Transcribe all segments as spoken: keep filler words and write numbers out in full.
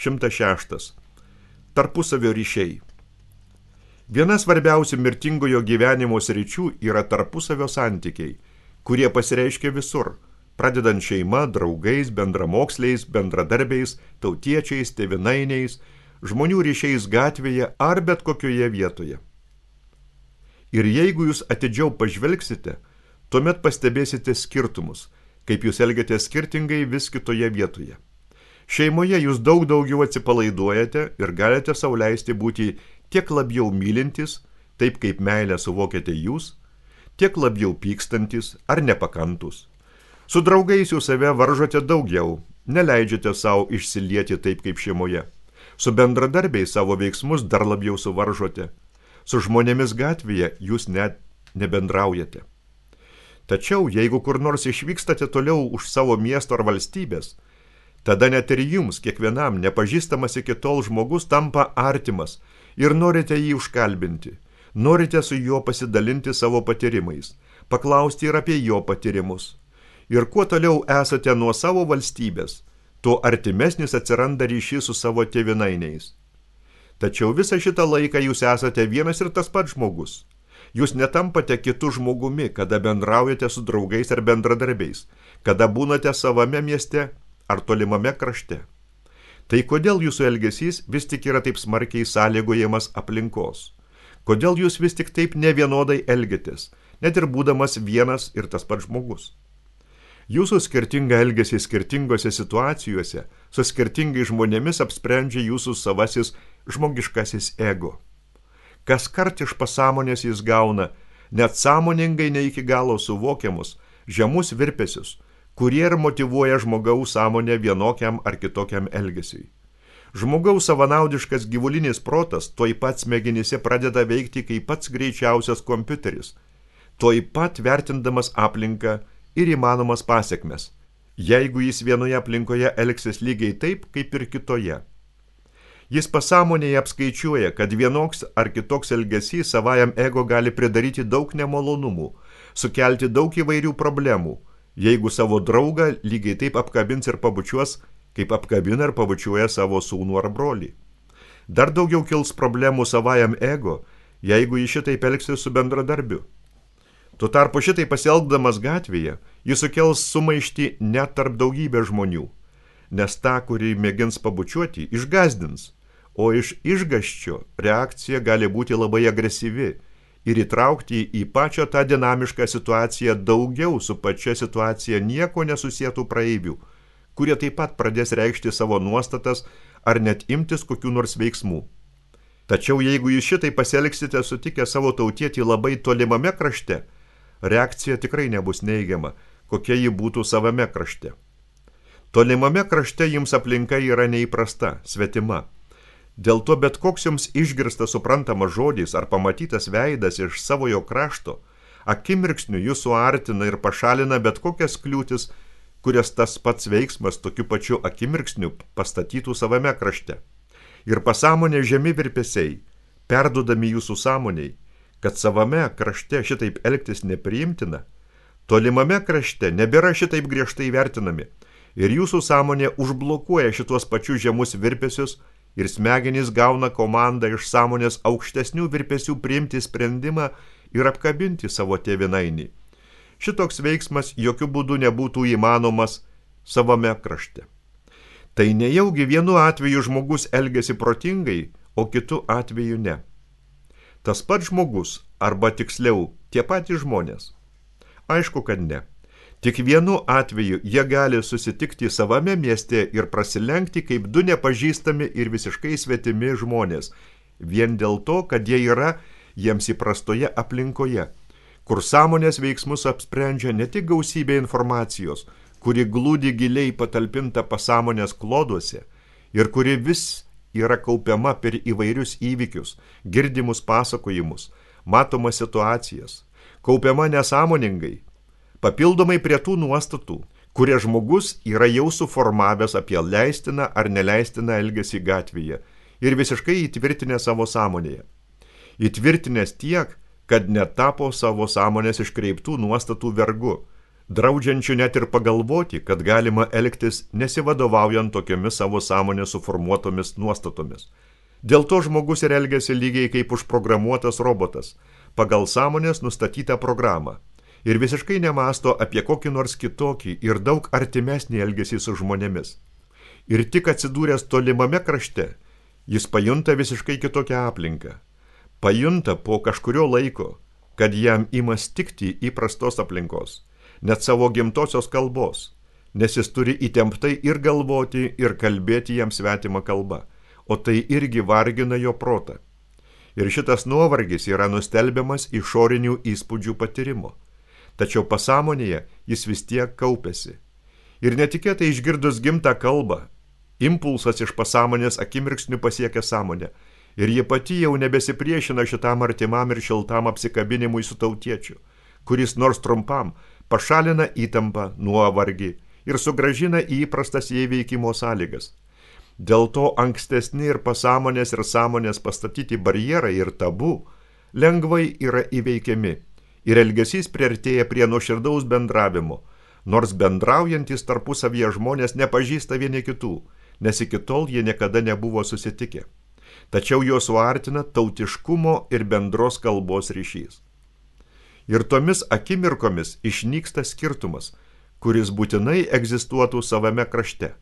šimtas šeštas. Tarpusavio ryšiai. Viena svarbiausių mirtingojo gyvenimo sričių yra tarpusavio santykiai, kurie pasireiškia visur, pradedant šeima, draugais, bendramoksliais, bendradarbiais, tautiečiais, tėvynainiais, žmonių ryšiais gatvėje ar bet kokioje vietoje. Ir jeigu jūs atidžiau pažvelgsite, tuomet pastebėsite skirtumus, kaip jūs elgiatės skirtingai vis kitoje vietoje. Šeimoje jūs daug daugiau atsipalaiduojate ir galite sau leisti būti tiek labiau mylintis, taip kaip meilę suvokiate jūs, tiek labiau pykstantis ar nepakantus. Su draugais jūs save varžote daugiau, neleidžiate savo išsilieti taip kaip šeimoje. Su bendradarbiais savo veiksmus dar labiau suvaržote. Su žmonėmis gatvėje jūs net nebendraujate. Tačiau, jeigu kur nors išvykstate toliau už savo miesto ar valstybės, tada net ir jums, kiekvienam nepažįstamas iki tol žmogus tampa artimas ir norite jį užkalbinti, norite su juo pasidalinti savo patyrimais, paklausti ir apie jo patyrimus. Ir kuo toliau esate nuo savo valstybės, tuo artimesnis atsiranda ryšys su savo tėvynainiais. Tačiau visą šitą laiką jūs esate vienas ir tas pats žmogus. Jūs netampate kitų žmogumi, kada bendraujate su draugais ar bendradarbiais, kada būnate savame mieste ar tolimame krašte. Tai kodėl jūsų elgesys vis tik yra taip smarkiai sąlygojamas aplinkos? Kodėl jūs vis tik taip nevienodai elgiatės, net ir būdamas vienas ir tas pats žmogus? Jūsų skirtingą elgesį skirtingose situacijose su skirtingais žmonėmis apsprendžia jūsų savasis žmogiškasis ego. Kas kart iš pasąmonės jis gauna net sąmoningai ne iki galo suvokiamus žemus virpesius, kurie ir motyvuoja žmogaus sąmonę vienokiam ar kitokiam elgesiui. Žmogaus savanaudiškas gyvulinis protas tuoj pat smegenyse pradeda veikti kaip pats greičiausias kompiuteris, tuoj pat vertindamas aplinką ir įmanomas pasekmes, jeigu jis vienoje aplinkoje elgsis lygiai taip, kaip ir kitoje. Jis pasąmonėje apskaičiuoja, kad vienoks ar kitoks elgesys savajam ego gali pridaryti daug nemalonumų, sukelti daug įvairių problemų, jeigu savo draugą lygiai taip apkabins ir pabučiuos, kaip apkabina ir pabučiuoja savo sūnų ar brolį. Dar daugiau kils problemų savajam ego, jeigu jis šitaip elgsis su bendradarbiu. Tuo tarpu šitai pasielgdamas gatvėje, jis sukels sumaištį net tarp daugybę žmonių, nes tą, kurį mėgins pabučiuoti, išgazdins, o iš išgąsčio reakcija gali būti labai agresyvi ir įtraukti į pačią tą dinamišką situaciją daugiau su pačia situacija nieko nesusietų praeivių, kurie taip pat pradės reikšti savo nuostatas ar net imtis kokių nors veiksmų. Tačiau jeigu jūs šitai pasielgsite sutikę savo tautietį labai tolimame krašte, reakcija tikrai nebus neigiama, kokia ji būtų savame krašte. Tolimame krašte jums aplinka yra neįprasta, svetima. Dėl to bet koks jums išgirstas suprantamas žodis ar pamatytas veidas iš savojo krašto, akimirksniu jūs suartina ir pašalina bet kokias kliūtis, kurias tas pats veiksmas tokiu pačiu akimirksniu pastatytų savame krašte. Ir pasąmonė žemi virpesiai, perduodami jūsų sąmoniai, kad savame krašte šitaip elgtis nepriimtina, tolimame krašte nebėra šitaip griežtai vertinami ir jūsų sąmonė užblokuoja šitos pačius žemus virpesius ir smegenys gauna komandą iš sąmonės aukštesnių virpesių priimti sprendimą ir apkabinti savo tėvynainį. Šitoks veiksmas jokių būdų nebūtų įmanomas savame krašte. Tai nejaugi vienu atveju žmogus elgiasi protingai, o kitu atveju ne. Tas pats žmogus, arba tiksliau, tie patys žmonės. Aišku, kad ne. Tik vienu atveju jie gali susitikti savame mieste ir prasilenkti kaip du nepažįstami ir visiškai svetimi žmonės, vien dėl to, kad jie yra jiems įprastoje aplinkoje, kur sąmonės veiksmus apsprendžia ne tik gausybė informacijos, kuri glūdi giliai patalpinta pasąmonės kloduose ir kuri vis yra kaupiama per įvairius įvykius, girdimus pasakojimus, matomas situacijas, kaupiama nesąmoningai, papildomai prie tų nuostatų, kurie žmogus yra jau suformavęs apie leistiną ar neleistiną elgesį gatvėje ir visiškai įtvirtinę savo sąmonėje. Įtvirtinęs tiek, kad netapo savo sąmonės iškreiptų nuostatų vergu, draudžiančių net ir pagalvoti, kad galima elgtis nesivadovaujant tokiomis savo sąmonės suformuotomis nuostatomis. Dėl to žmogus ir elgiasi lygiai kaip užprogramuotas robotas, pagal sąmonės nustatytą programą, ir visiškai nemasto apie kokį nors kitokį ir daug artimesnį elgesį su žmonėmis. Ir tik atsidūręs tolimame krašte, jis pajunta visiškai kitokią aplinką. Pajunta po kažkurio laiko, kad jam ima stikti įprastos aplinkos, net savo gimtosios kalbos, nes jis turi įtemptai ir galvoti, ir kalbėti jam svetimą kalbą, o tai irgi vargina jo protą. Ir šitas nuovargis yra nustelbiamas išorinių įspūdžių patyrimo. Tačiau pasąmonėje jis vis tiek kaupėsi. Ir netikėtai išgirdus gimtą kalbą, impulsas iš pasąmonės akimirksniu pasiekia sąmonę, ir ji pati jau nebesipriešina šitam artimam ir šiltam apsikabinimui su tautiečiu, kuris nors trumpam pašalina įtampą, nuovargį ir sugrąžina į įprastas įveikimo sąlygas. Dėl to ankstesni ir pasąmonės ir sąmonės pastatyti barjerai ir tabu lengvai yra įveikiami, ir elgesys priartėja prie nuoširdaus bendravimo, nors bendraujantys tarpusavyje žmonės nepažįsta vieni kitų, nes iki tol jie niekada nebuvo susitikę. Tačiau juos suartina tautiškumo ir bendros kalbos ryšys. Ir tomis akimirkomis išnyksta skirtumas, kuris būtinai egzistuotų savame krašte.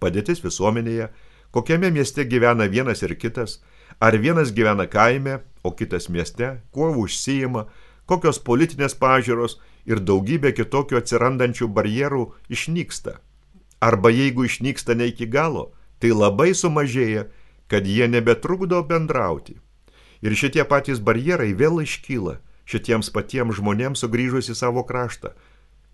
Padėtis visuomenėje, kokiame mieste gyvena vienas ir kitas, ar vienas gyvena kaime, o kitas mieste, kuo užsiima, kokios politinės pažiūros ir daugybė kitokių atsirandančių barjerų išnyksta. Arba jeigu išnyksta ne iki galo, tai labai sumažėja, kad jie nebetrukdo bendrauti. Ir šitie patys barjerai vėl iškyla šitiems patiems žmonėms sugrįžus į savo kraštą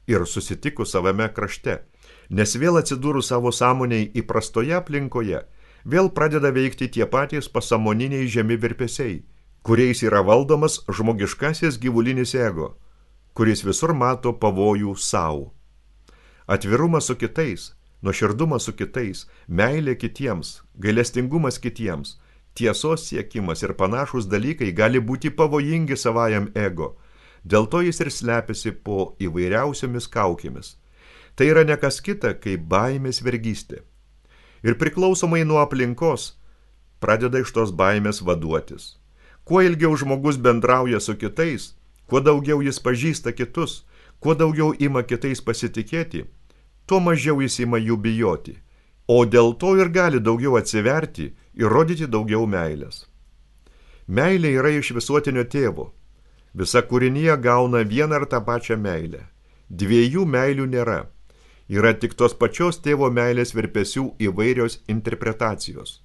ir susitikus savame krašte, nes vėl atsidūrus savo sąmoniai įprastoje aplinkoje, vėl pradeda veikti tie patys pasąmoniniai žemi virpesiai, kuriais yra valdomas žmogiškasis gyvulinis ego, kuris visur mato pavojų savo. Atvirumas su kitais, nuoširdumas su kitais, meilė kitiems, gailestingumas kitiems, tiesos siekimas ir panašūs dalykai gali būti pavojingi savajam ego, dėl to jis ir slepiasi po įvairiausiomis kaukėmis. Tai yra ne kas kita, kaip baimės vergystė. Ir priklausomai nuo aplinkos pradeda iš tos baimės vaduotis. Kuo ilgiau žmogus bendrauja su kitais, kuo daugiau jis pažįsta kitus, kuo daugiau ima kitais pasitikėti, tuo mažiau jis ima jų bijoti, o dėl to ir gali daugiau atsiverti ir rodyti daugiau meilės. Meilė yra iš visuotinio tėvo. Visa kūrinija gauna vieną ar tą pačią meilę. Dviejų meilių nėra. Yra tik tos pačios tėvo meilės virpesių įvairios interpretacijos.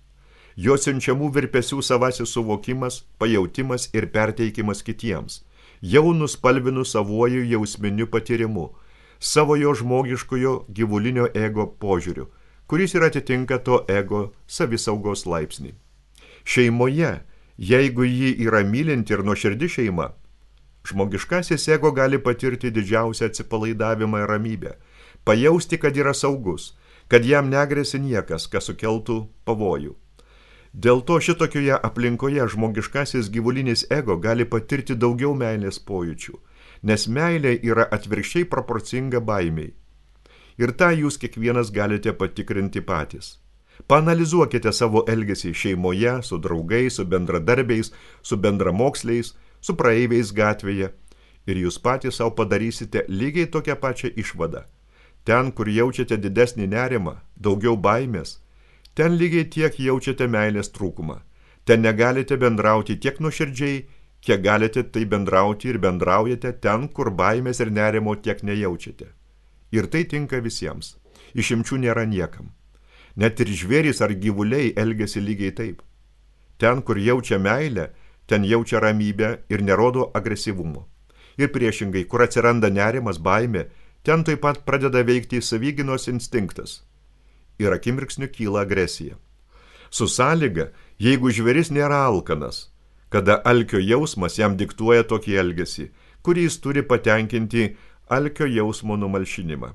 Jo siunčiamų virpesių savasis suvokimas, pajautimas ir perteikimas kitiems, jau nuspalvinus savuoju jausminiu patyrimu, savo jo žmogiškojo gyvulinio ego požiūriu, kuris ir atitinka to ego savisaugos laipsnį. Šeimoje, jeigu ji yra mylinti ir nuoširdi šeima, žmogiškasis ego gali patirti didžiausią atsipalaidavimą ir ramybę, pajausti, kad yra saugus, kad jam negrėsi niekas, kas sukeltų pavojų. Dėl to šitokioje aplinkoje žmogiškasis gyvulinis ego gali patirti daugiau meilės pojūčių, nes meilė yra atvirkščiai proporcinga baimiai. Ir tą jūs kiekvienas galite patikrinti patys. Paanalizuokite savo elgesį šeimoje, su draugais, su bendradarbiais, su bendramoksliais, su praeiviais gatvėje, ir jūs patys savo padarysite lygiai tokią pačią išvadą. Ten, kur jaučiate didesnį nerimą, daugiau baimės, ten lygiai tiek jaučiate meilės trūkumą. Ten negalite bendrauti tiek nuoširdžiai, kiek galite tai bendrauti ir bendraujate ten, kur baimės ir nerimo tiek nejaučiate. Ir tai tinka visiems. Išimčių nėra niekam. Net ir žvėrys ar gyvuliai elgiasi lygiai taip. Ten, kur jaučia meilę, ten jaučia ramybę ir nerodo agresyvumo. Ir priešingai, kur atsiranda nerimas, baimė, ten taip pat pradeda veikti savigynos instinktas. Ir akimirksniu kyla agresija. Su sąlyga, jeigu žvėris nėra alkanas, kada alkio jausmas jam diktuoja tokį elgesį, kurį jis turi patenkinti alkio jausmo numalšinimą.